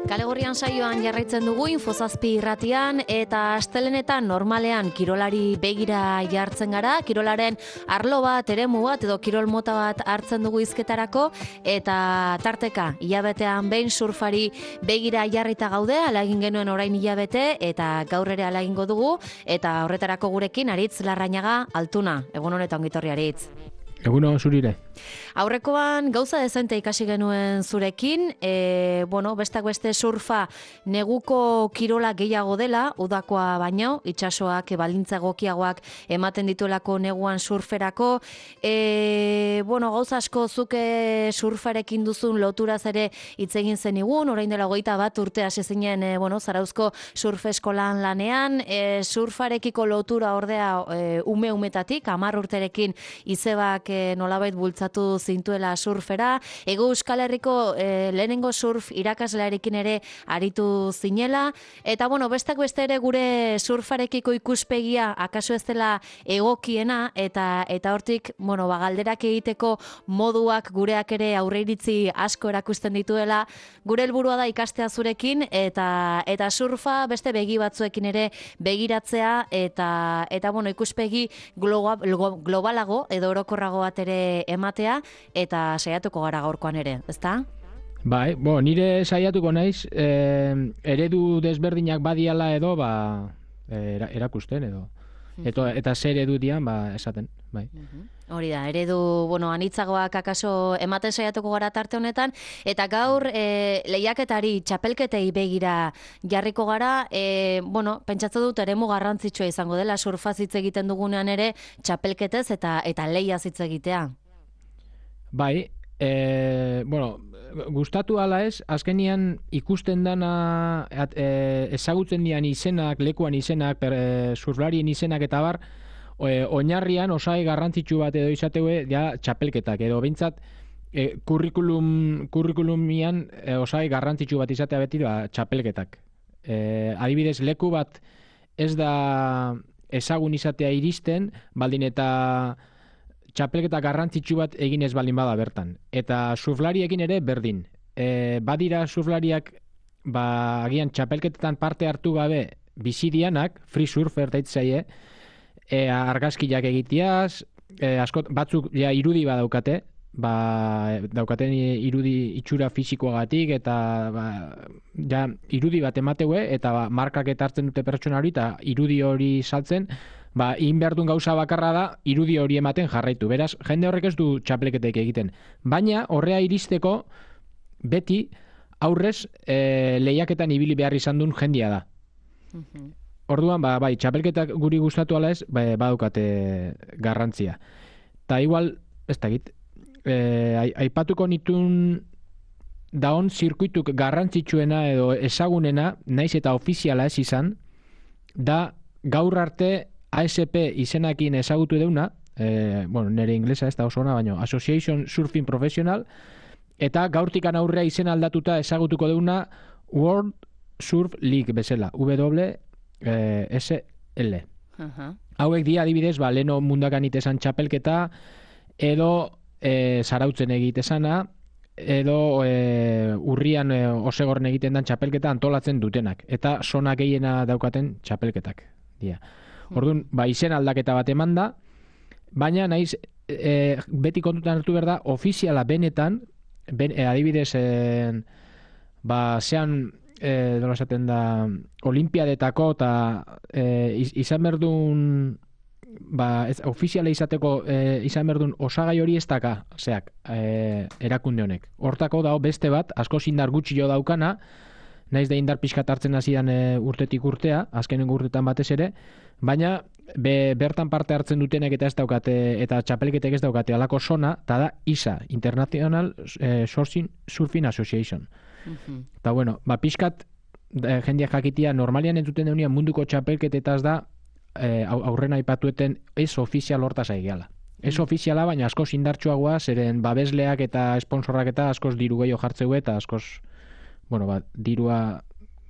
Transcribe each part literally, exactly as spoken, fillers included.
Kalegorrian saioan jarraitzen dugu Infozazpi irratian eta astelenetan normalean kirolari begira jartzen gara, kirolaren arlo bat, eremu bat edo kirol mota bat hartzen dugu hizketarako eta tarteka hilabetean behin surfari begira jarrita gaude, ala egin genuen orain hilabete eta gaur ere ala egingo dugu eta horretarako gurekin Aritz Larrañaga Altuna. Egun honetan ongitorri Aritz. Eguno zurire. Aurrekoan gauza dezente ikasi genuen zurekin, e, bueno, bestak beste surfa neguko kirola gehiago dela, udakoa baino, itsasoak balintza egokiagoak ematen dituelako neguan surferako. E, bueno, gauza asko zuke surfarekin duzun loturaz ere hitz egin zenigun, orain dela hogeita bat urte hasi zinen, e, bueno, Zarauzko surf eskolan lanean, e, surfarekiko lotura ordea e, ume umetatik, hamar urterekin izebak e, nolabait bultzatu zintuela surfera. Ego Euskal Herriko e, lehenengo surf irakaslearekin ere aritu zinela. Eta bueno, bestak beste ere gure surfarekiko ikuspegia akaso ez dela egokiena eta eta hortik, bueno, ba, galderak egiteko moduak gureak ere aurreiritzi asko erakusten dituela. Gure helburua da ikastea zurekin eta eta surfa beste begi batzuekin ere begiratzea eta eta bueno, ikuspegi global, globalago edo orokorrago bat ere ematea eta saiatuko gara gaurkoan ere, ezta? Bai, bo, nire saiatuko naiz, eh, eredu desberdinak badiala edo, ba, era, erakusten edo. Eta, eta zer eredu dian, ba, esaten, bai. Hori da, eredu, bueno, anitzagoak akaso ematen saiatuko gara tarte honetan, eta gaur e, lehiaketari, txapelketei begira jarriko gara, e, bueno, pentsatzen dut eremu garrantzitsua izango dela, surfaz hitz egiten dugunean ere, txapelketez eta eta lehiaz hitz egitea. Bai, e, bueno, gustatu ala ez, azkenian ikusten dana at, e, ezagutzen dian izenak, lekuan izenak, per, e, surflarien izenak eta bar, e, oinarrian osai garrantzitsu bat edo izateue ja txapelketak, edo behintzat e, kurrikulum, kurrikulumian e, osai garrantzitsu bat izatea beti da txapelketak. E, adibidez, leku bat ez da ezagun izatea iristen, baldin eta txapelketa garrantzitsu bat egin ez baldin bada bertan. Eta surflariekin ere berdin. E, badira surflariak ba, agian txapelketetan parte hartu gabe bizidianak, free surfer daitzaie, e, argazkiak egiteaz, e, askot, batzuk ja, irudi bat daukate, ba, daukaten irudi itxura fisikoagatik, eta ba, ja, irudi bat emateue, eta ba, markak eta hartzen dute pertsona hori, eta irudi hori saltzen, ba, egin behar duen gauza bakarra da, irudi hori ematen jarraitu. Beraz, jende horrek ez du txapelketek egiten. Baina, horrea iristeko, beti, aurrez, e, lehiaketan ibili behar izan duen jendia da. Uh-huh. Orduan, ba, bai, txapelketak guri gustatu ala ez, ba, badukate garrantzia. Ta igual, ez da git, e, aipatuko nitun daon zirkuituk garrantzitsuena edo ezagunena, naiz eta ofiziala ez izan, da gaur arte A S P izenakin ezagutu deuna, e, bueno, nire inglesa ez da oso ona, baina Association Surfing Professional, eta gaurtikan aurrea izen aldatuta ezagutuko deuna World Surf League bezala, W S L. Uh-huh. Hauek dia adibidez, ba, leno mundakan itesan txapelketa, edo e, zarautzen egitezana, edo e, urrian e, osegorren egiten dan txapelketa antolatzen dutenak, eta zona gehiena daukaten txapelketak dia. Orduan, ba, izen aldaketa bat eman da, baina naiz e, beti kontutan hartu behar da, ofiziala benetan, ben, e, adibidez, e, ba, zean, e, dola esaten da, olimpiadetako, eta e, izan berdun, ba, ez, ofiziala izateko e, izan berdun osagai hori ez daka, zeak, e, erakunde honek. Hortako dago beste bat, asko indar gutxi jo daukana, naiz da indar pixkat hartzen hasian e, urtetik urtea, azkenengo urtetan batez ere, baina be, bertan parte hartzen dutenek eta ez daukate, eta txapelketek ez daukate alako zona, eta da I S A, International eh, Surfing, Surfing Association. Uh-huh. Eta bueno, ba, pixkat eh, jendeak jakitia, normalian entzuten deunean munduko txapelketetaz da eh, aurrena aipatueten ez ofizial hortaz aigeala. Ez uh-huh. ofiziala, baina askoz indartsuagoa, zeren babesleak eta sponsorrak eta askoz diru gehiago jartzeu eta askoz, bueno, ba, dirua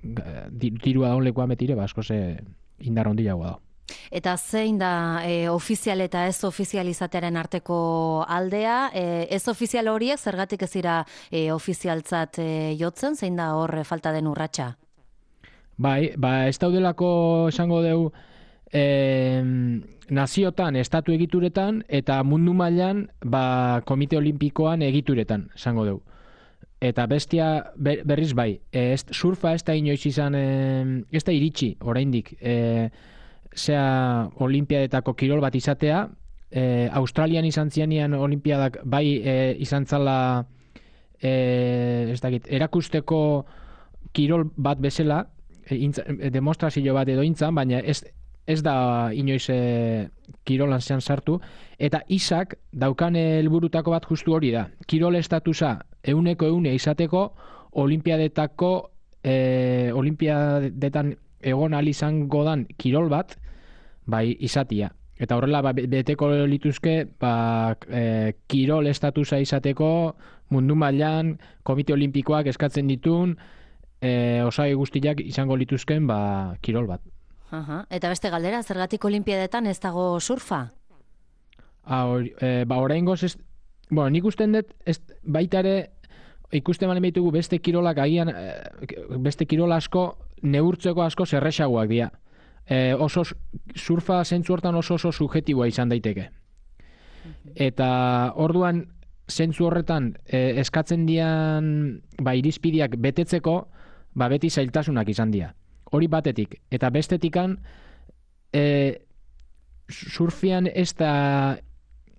dirua daunlekoa metire, ba, askoz eh, indar hondiagoa da. Eta zein da e, ofizial eta ez ofizial izatearen arteko aldea? E, ez ofizial horiek zergatik ez dira e, ofizialtzat e, jotzen, zein da hor falta den urratsa? Bai, ba, ez daudelako esango dugu e, naziotan, estatu egituretan, eta mundu mailan ba, komite olimpikoan egituretan, esango dugu. Eta bestia ber, berriz bai, e, ez, surfa ez da inoiz izan, e, ez da iritsi, oraindik, e, zea olimpiadetako kirol bat izatea, e, Australian izan zianian olimpiadak bai e, izan zala e, ez dakit, erakusteko kirol bat bezala, e, intza, e, demostrazio bat edo intzan, baina ez, ez da inoiz e, kirolan zean sartu, eta isak daukan helburutako bat justu hori da. Kirol estatusa euneko eune izateko olimpiadetako e, olimpiadetan egon ahal izango dan kirol bat, bai izatia. Eta horrela ba, beteko lituzke ba, e, kirol estatusa izateko mundu mailan komite olimpikoak eskatzen ditun e, osagai guztiak izango lituzken ba, kirol bat. Aha. Eta beste galdera, zergatik olimpiadetan ez dago surfa? Ah, or, e, ba, oraingoz ez, bueno, nik usten dut ez, baita ere ikusten balen behitugu beste kirolak agian, beste kirol asko neurtzeko asko zerrexagoak dira. E, oso surfa zentzu hortan oso oso subjetiboa izan daiteke. Eta orduan zentzu horretan e, eskatzen dian ba, irizpideak betetzeko ba, beti zailtasunak izan dira. Hori batetik. Eta bestetikan e, surfian ez da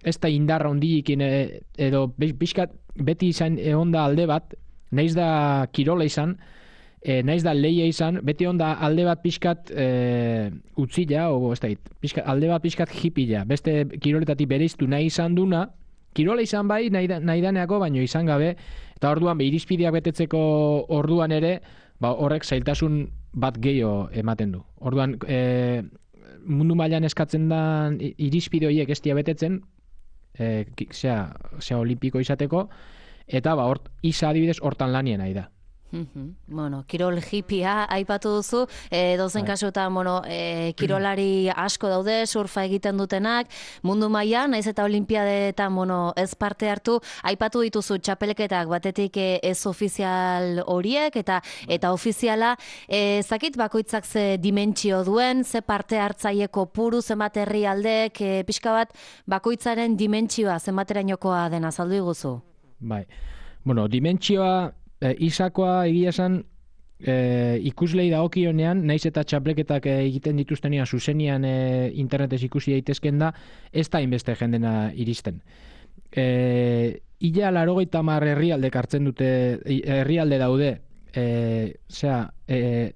ez da indarra hondiikin e, edo pixkat beti izan egon da alde bat, naiz da kirola izan, e, naiz da leia izan, beti onda alde bat pixkat e, utzila, o ez da, pixkat, alde bat pixkat hipila, beste kiroletatik bereiztu nahi izan duna, kirola izan bai, nahi, nahi daneako, baino izan gabe, eta orduan be, irizpideak betetzeko orduan ere, ba, horrek zailtasun bat gehiago ematen du. Orduan, e, mundu mailan eskatzen da irizpide horiek ez dira betetzen, e, zea, zea olimpiko izateko, eta ba, hort, isa adibidez hortan lanien nahi da. Bueno, kirol hipia aipatu duzu, e, dozen kasuetan, bueno, e, kirolari asko daude, surfa egiten dutenak, mundu mailan, naiz eta olimpiadetan, bueno, ez parte hartu, aipatu dituzu txapelketak batetik ez ofizial horiek, eta eta ofiziala, e, zakit bakoitzak ze dimentsio duen, ze parte hartzaieko puru, zenbat herrialdek, e, pixka bat, bakoitzaren dimentsioa, zenbaterainokoa dena, azaldu iguzu? Bai, bueno, dimentsioa, E, isakoa egia esan e, ikuslei dagokionean, naiz eta txapleketak e, egiten dituztenean zuzenian e, internetez ikusi daitezken da, ez da inbeste jendena iristen. E, Ila larogeita hamar herrialdek hartzen dute, herrialde daude, e, zera, e,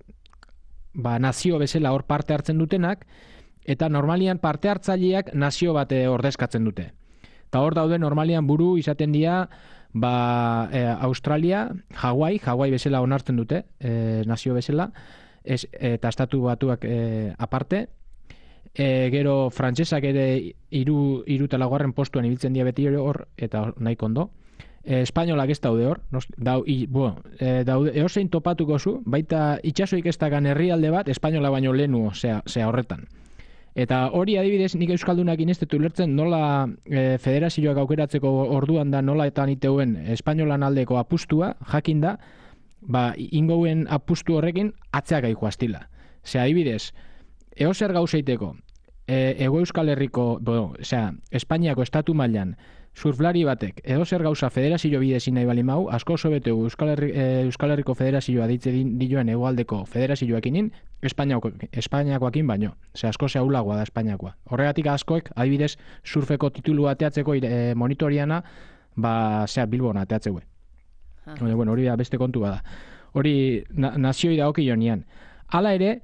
ba, nazio bezala hor parte hartzen dutenak, eta normalian parte hartzaileak nazio bat ordezkatzen dute. Eta hor daude normalian buru izaten dira, ba, e, Australia, Hawaii, Hawaii bezala onartzen dute, e, nazio bezala, ez, eta estatu batuak e, aparte, e, gero frantsesak ere hiru hiru eta laugarren postuan ibiltzen dira beti hor, eta nahi kondo. E, espainolak ez daude hor, nos, dau, i, bueno, e, daude, eosein topatuko zu, baita itxasoik ez dakan herrialde bat, espainola baino lehenu, zea, zea horretan. Eta hori adibidez, nik euskaldunak inestetu lertzen nola e, federazioak aukeratzeko orduan da nola eta niteuen espainolan aldeko apustua, jakin da, ba, ingouen apustu horrekin atzeak aiku astila. Ze adibidez, eozer gauzeiteko, e, ego euskal herriko, bueno, osea, Espainiako estatu mailan, surflari batek, edozer gauza federazio bidezin nahi bali mau, asko oso bete Euskal, Herri, e, Euskal Herriko federazioa ditze dioen egoaldeko federazioakinin, Espainiakoakin baino. Ze asko zehaulagoa da Espainiakoa. Horregatik askoek, adibidez, surfeko titulu ateatzeko e, monitoriana, ba, zea Bilbon ateatzeue. Ah. Bueno, hori da beste kontu bada. Hori na, nazioi da oki jonian. Hala ere,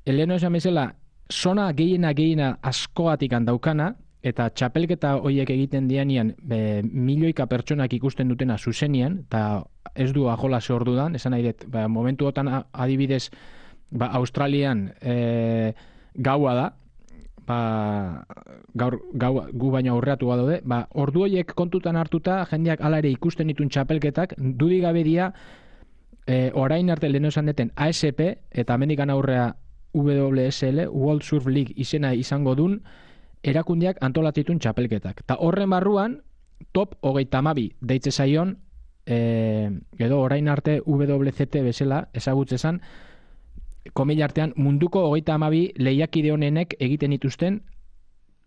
Eleno esan bezala, zona gehiena gehiena askoatik daukana, eta txapelketa horiek egiten dianian be, milioika pertsonak ikusten dutena zuzenian, eta ez du ajola ze ordudan, esan nahi dut, ba, momentu otan adibidez, ba, Australian e, gaua da, ba, gaur, gau, gu baina aurreatu badaude, ba, ordu horiek kontutan hartuta, jendeak hala ere ikusten ditun txapelketak, dudik gabe dia, e, orain arte leheno esan deten A S P, eta amendikan aurrea W S L, World Surf League izena izango dun, erakundeak antolatzitun txapelketak. Ta horren barruan, top hogeita hamabi deitze zaion, e, edo orain arte W C T bezala ezagutzezan, komila artean munduko hogeita hamabi lehiakide honenek egiten dituzten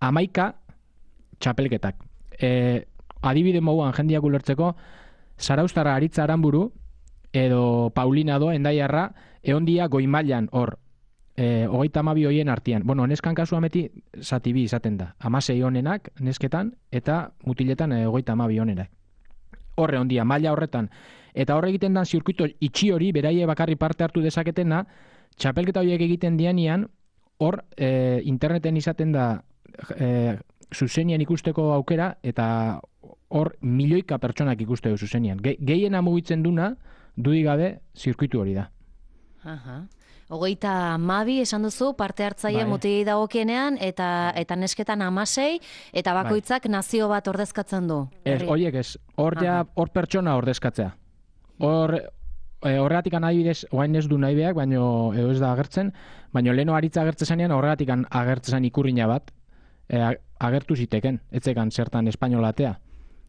hamaika txapelketak. E, adibide moduan jendiak ulertzeko, Zarauztarra Aritza Aranburu edo Paulina do Endaiarra eondia goi mailan hor. E, hogeita hamabi hoien artean. Bueno, neskan kasua meti zati bi izaten da. Hamasei honenak nesketan eta mutiletan e, hogeita hamabi honenak. Horre ondia, maila horretan. Eta horre egiten dan zirkuito itxi hori, beraie bakarri parte hartu dezaketena, txapelketa horiek egiten dianian, hor e, interneten izaten da e, zuzenian ikusteko aukera, eta hor milioika pertsonak ikusteko zuzenian. Ge, gehiena mugitzen duna, dudik gabe, zirkuitu hori da. Aha. Hogeita mabi esan duzu parte hartzaile bai. mutilei dagokienean eta eta nesketan hamasei eta bakoitzak bai. nazio bat ordezkatzen du. Ez, horiek ez. Hor ja, hor pertsona ordezkatzea. Hor e, horregatik adibidez, oain ez du nahi beak, baino edo ez da agertzen, baino leno Aritza agertzen zanean horregatik agertzen ikurrina bat e, agertu ziteken, etzekan zertan espainolatea.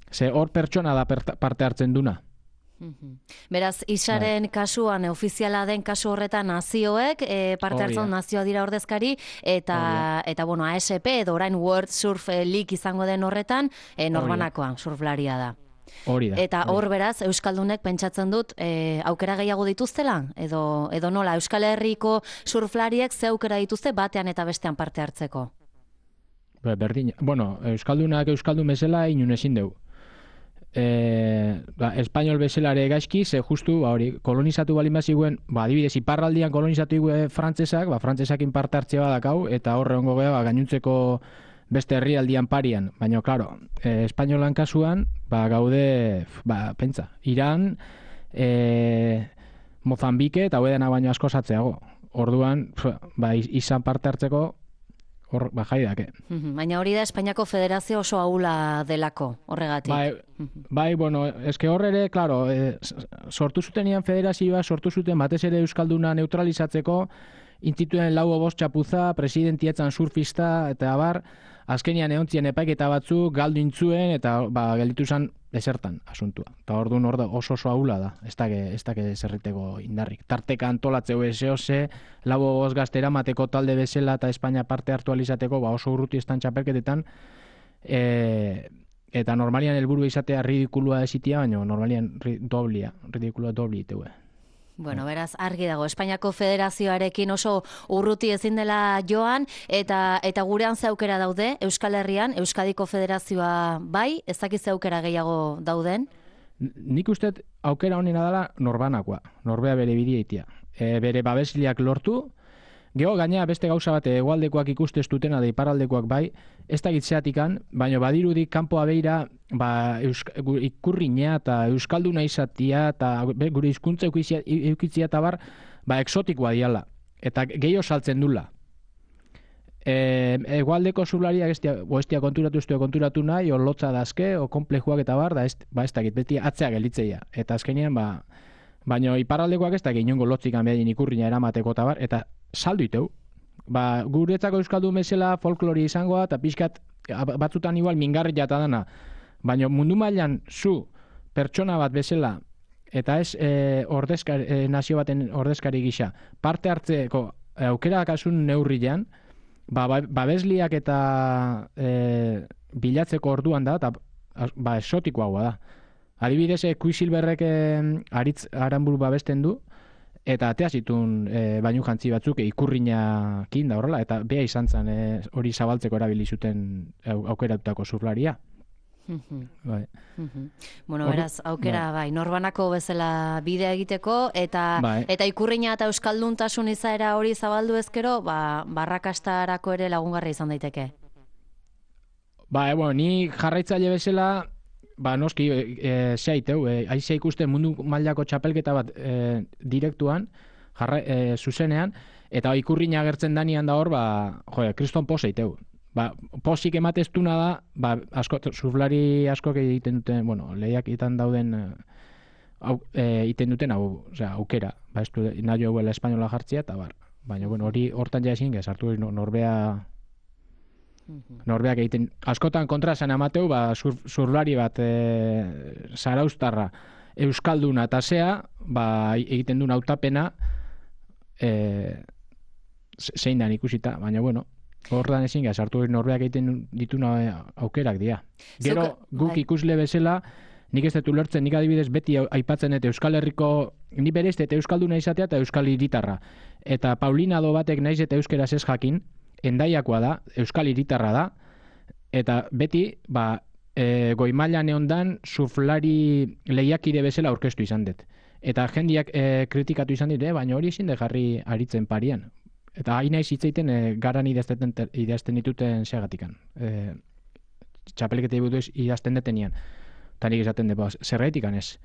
Ze hor pertsona da parte hartzen duna. Beraz, Isaren kasuan, ofiziala den kasu horretan nazioek, e, parte hartzen nazioa dira ordezkari, eta, eta bueno, A S P edo orain World Surf League izango den horretan, e, norbanakoan surflaria da. Hori da. Eta hor beraz, Euskaldunek pentsatzen dut, e, aukera gehiago dituztela? Edo, edo nola, Euskal Herriko surflariek ze aukera dituzte batean eta bestean parte hartzeko? Berdin, bueno, Euskaldunak Euskaldun bezala inun ezin dugu. E, ba, espainol bezalare gaizki, ze justu ba, hori, kolonizatu balin baziguen, ba, adibidez, iparraldian kolonizatu iguen frantzesak, ba, frantzesakin parte hartzea badakau, eta horre hongo geha, ba, gainuntzeko beste herrialdian parian. Baina, klaro, e, espainolan kasuan, ba, gaude, ba, pentsa, Iran, e, Mozambike, eta huedena baino asko zatzeago. Orduan, ba, izan parte hartzeko, hor, ba, jaidake. Baina hori da Espainiako Federazio oso ahula delako, horregatik. Bai, bai bueno, eske hor ere, klaro, e, sortu zutenean federazioa, sortu zuten batez ere Euskalduna neutralizatzeko, instituen lau bost txapuza, presidentietzan surfista, eta abar, azkenian eontzien epaiketa batzu, galdu intzuen, eta ba, gelditu zen desertan asuntua. Eta hor duen oso oso ahula da, ez da zerriteko indarrik. Tarteka antolatzeu eseose, lau bost gazte eramateko talde bezala eta Espainia parte hartu alizateko, ba, oso urruti estan txapelketetan, e, eta normalian helburu izatea ridikulua esitia, baina normalian ri, doblia, ridikulua dobli iteue. Bueno, beraz, argi dago, Espainiako Federazioarekin oso urruti ezin dela joan, eta eta gurean ze aukera daude, Euskal Herrian, Euskadiko Federazioa bai, ez dakiz ze aukera gehiago dauden? Nik uste aukera honena dela norbanakoa, norbea bere bideitia. E, bere babesliak lortu, geho gaina beste gauza bate hegoaldekoak ikusteztutena da iparraldekoak bai, ez da gitzeatikan, baina badirudik kanpoa beira ba, ikurriña eta euskalduna izatia eta gure hizkuntza eukitzia eta bar, ba, eksotikoa diala. Eta gehiago saltzen dula. E, hegoaldeko zurlariak ez dia konturatu ez konturatu nahi, o lotza dazke, o komplejuak eta bar, da ez, ba, ez dakit, beti atzea gelitzeia. Eta azkenean, ba, baina iparraldekoak ez da gehiago lotzikan behar ikurriña eramateko eta bar, eta saldu iteu. Ba, guretzako euskaldun bezala folklori izangoa, eta pixkat batzutan igual mingarri jata dana. Baina mundu mailan zu pertsona bat bezala, eta ez e, ordezkari, e, nazio baten ordezkari gisa, parte hartzeko aukera kasun neurrian, ba, babesliak eta e, bilatzeko orduan da, eta ba, esotikoagoa da. Adibidez, Quicksilverrek e, Aritz Aranburu babesten du, eta atea zitun e, bainu jantzi batzuk e, ikurriñakin da horrela, eta bea izan zen e, hori zabaltzeko erabili zuten aukeratutako surflaria. Bai. Bueno, beraz, aukera bai, norbanako bezala bidea egiteko, eta bai. Eta ikurriña eta euskalduntasun izaera hori zabaldu ezkero, ba, barrakastarako ere lagungarri izan daiteke. Ba, e, bueno, ni jarraitzaile bezala, ba, noski, e, zeiteu, e, aizea ikusten mundu mailako txapelketa bat e, direktuan, jarra, e, zuzenean, eta ikurriña agertzen danian da hor, ba, jo, kriston poseiteu. Ba, posik emateztuna da, ba, asko, surflari askok egiten duten, bueno, lehiak egiten dauden, au, e, egiten duten, hau, osea, aukera, ba, ez du, nahi hauela espainola jartzea, eta bar, Baina, bueno, hori hortan ja ezin, sartu norbea norbeak egiten, askotan kontra esan amateu, ba, sur, surlari bat e, zaraustarra euskalduna eta zea, ba, egiten duen hautapena e, zein dan ikusita, baina bueno, hortan ezin gara, sartu norbeak egiten dituna aukerak dira. Gero, Zuka, guk bai. Ikusle bezala, nik ez dut ulertzen, nik adibidez beti aipatzen eta Euskal Herriko, ni berez eta euskalduna izatea eta euskal hiritarra. Eta Paulina do batek naiz eta euskeraz ez jakin, Endaiakoa da, euskal hiritarra da, eta beti, ba, e, goi mailan eondan surflari lehiakide bezala aurkeztu izan dut. Eta jendiak e, kritikatu izan dit, eh, baina hori ezin de jarri aritzen parian. Eta hain naiz hitzeiten e, garan idazten, idazten dituten seagatikan. E, txapelketa ibuduz idazten detenian. Eta nik esaten dut, zerraitikan ez.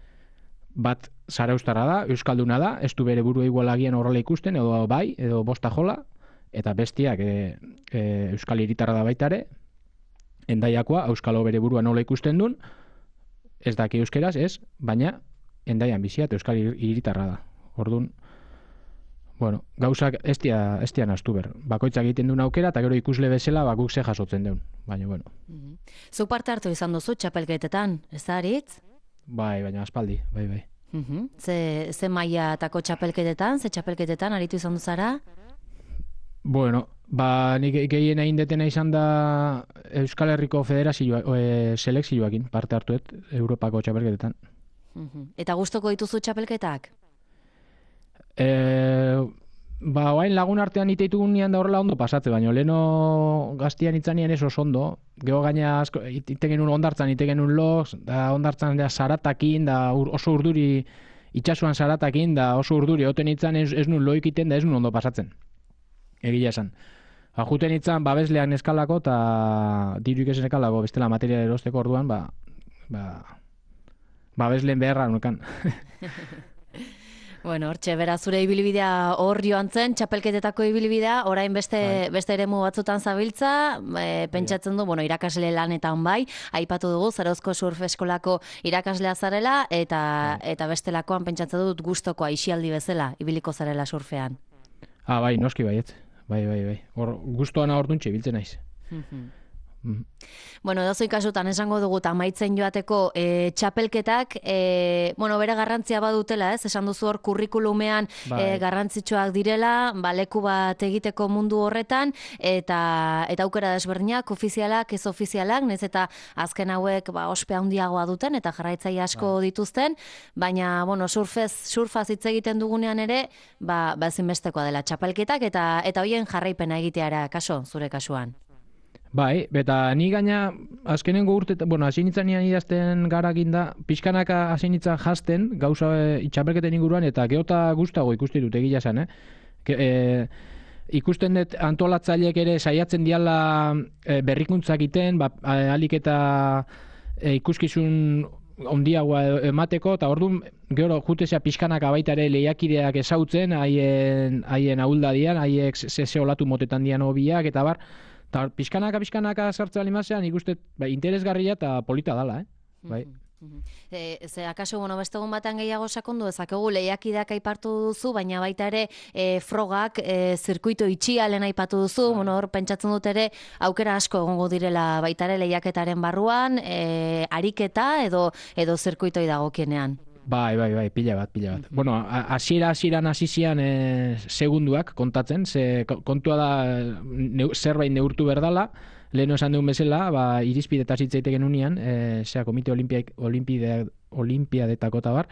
Bat zaraustarra da, euskalduna da, ez du bere buru igualagian horrela ikusten, edo bai, edo bosta jola, eta bestiak e, e, euskal hiritarra da baitare, Endaiakoa euskalo bere burua nola ikusten duen, ez daki euskeraz, ez, baina Endaian bizia eta euskal hiritarra da. Orduan, bueno, gauzak ez dia, ez dia naztu ber. Bakoitzak egiten duen aukera, eta gero ikusle bezala bakuk ze jasotzen duen. Baina, bueno. Mm-hmm. Zu parte hartu izan duzu txapelketetan, ez da haritz? Bai, baina aspaldi, bai, bai. Mm-hmm. Ze, ze mailatako txapelketetan, ze txapelketetan aritu izan duzara? Bueno, ba, nik gehien egin detena izan da Euskal Herriko Federazioa, e, selekzioakin parte hartuet Europako txapelketetan. Mm-hmm. Eta gustoko dituzu txapelketak? E, ba, oain lagun artean iteitugun nian da horrela ondo pasatze, baina leno gaztian itzanien ez oso ondo. Geho gaina asko, ite genuen ondartzan, ite genuen loz, da ondartzan da zaratakin, da ur, oso urduri itxasuan zaratakin, da oso urduri oten itzan ez, ez nun loik iten, da ez nun ondo pasatzen. Egia esan. Ajuten itzan, babesleak neskalako, eta diruik ez neskalako, bestela materia erosteko orduan, ba, ba, babesleen beharra nukan. Bueno, hortxe, bera zure ibilbidea hor joan zen, txapelketetako ibilbidea, orain beste, bai. beste eremu batzutan zabiltza, e, pentsatzen du, bueno, irakasle lanetan bai, aipatu dugu, Zarozko Surf Eskolako irakaslea zarela, eta, bai. eta bestelakoan pentsatzen dut gustokoa aisialdi bezala, ibiliko zarela surfean. Ah, bai, noski baiet. Bai, bai, bai. Hor, gustoana orduntxe biltzen naiz. Mm-hmm. Mm. Bueno, edozein kasutan esango dugu amaitzen joateko e, txapelketak, e, bueno, bere garrantzia badutela, ez? Esan duzu hor kurrikulumean e, garrantzitsuak direla, ba, leku bat egiteko mundu horretan, eta eta aukera desberdinak, ofizialak, ez ofizialak, nez eta azken hauek ba, ospe handiagoa duten, eta jarraitzaile asko bai. dituzten, baina, bueno, surfez, surfaz hitz egiten dugunean ere, ba, ba ezinbestekoa dela txapelketak, eta eta hoien jarraipena egiteara, kaso, zure kasuan. Bai, eta ni gaina azkenengo urte, bueno, hasi nitzanean idazten garakin da, pixkanaka hasi nitzan jazten, gauza e, txapelketen inguruan, eta geota gustago ikusti dut egia zen, eh? Ke, e, ikusten dut antolatzaileek ere saiatzen diala e, berrikuntzak iten, ba, alik eta e, ikuskizun ondiagoa emateko, eta orduan gero jutezea pixkanaka baita ere lehiakideak ezautzen, haien, haien ahuldadian, haiek zeze olatu motetan dian hobiak, eta bar, eta pixkanaka, pixkanaka sartzea limazean, ikusten ba, interesgarria eta polita dala, eh? Bai. Mm-hmm. E, ze, akaso, bueno, beste egun batean gehiago sakondu ezakegu lehiakideak aipartu duzu, baina baita ere e, frogak, e, zirkuito itxialen aipatu duzu, bueno, hor pentsatzen dut ere aukera asko egongo direla baita ere lehiaketaren barruan, e, ariketa edo edo zirkuitoi dagokienean. Bai, bai, bai, pila bat, pila bat. Mm-hmm. Bueno, hasiera hasieran hasi zian e, segunduak kontatzen, ze kontua da neu, zerbait neurtu berdala, leheno esan dugun bezala, ba, irizpidetaz hitz egiten unian, e, zera, komite olimpiadetako eta bar,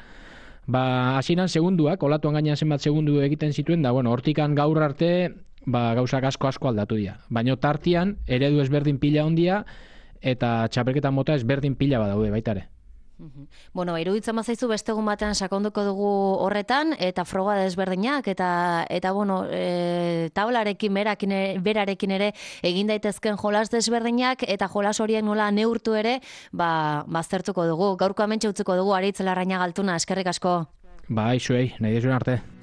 ba, hasieran segunduak, olatuan gainean zenbat segundu egiten zituen, da, bueno, hortikan gaur arte, ba, gauzak asko asko aldatu dira. Baina tartian, eredu ezberdin pila ondia, eta txapelketan mota ezberdin pila badaude baitare. Mm-hmm. Bueno, iruditzen bazaizu beste egun batean sakonduko dugu horretan, eta froga desberdinak, eta, eta bueno, e, taularekin, berakin, berarekin ere egin daitezken jolas desberdinak, eta jolas horiek nola neurtu ere, ba, baztertuko dugu. Gaurko hementxe utziko dugu, Aritz Larrañaga Altuna, eskerrik asko. Bai, zuei, nahi dezuen arte.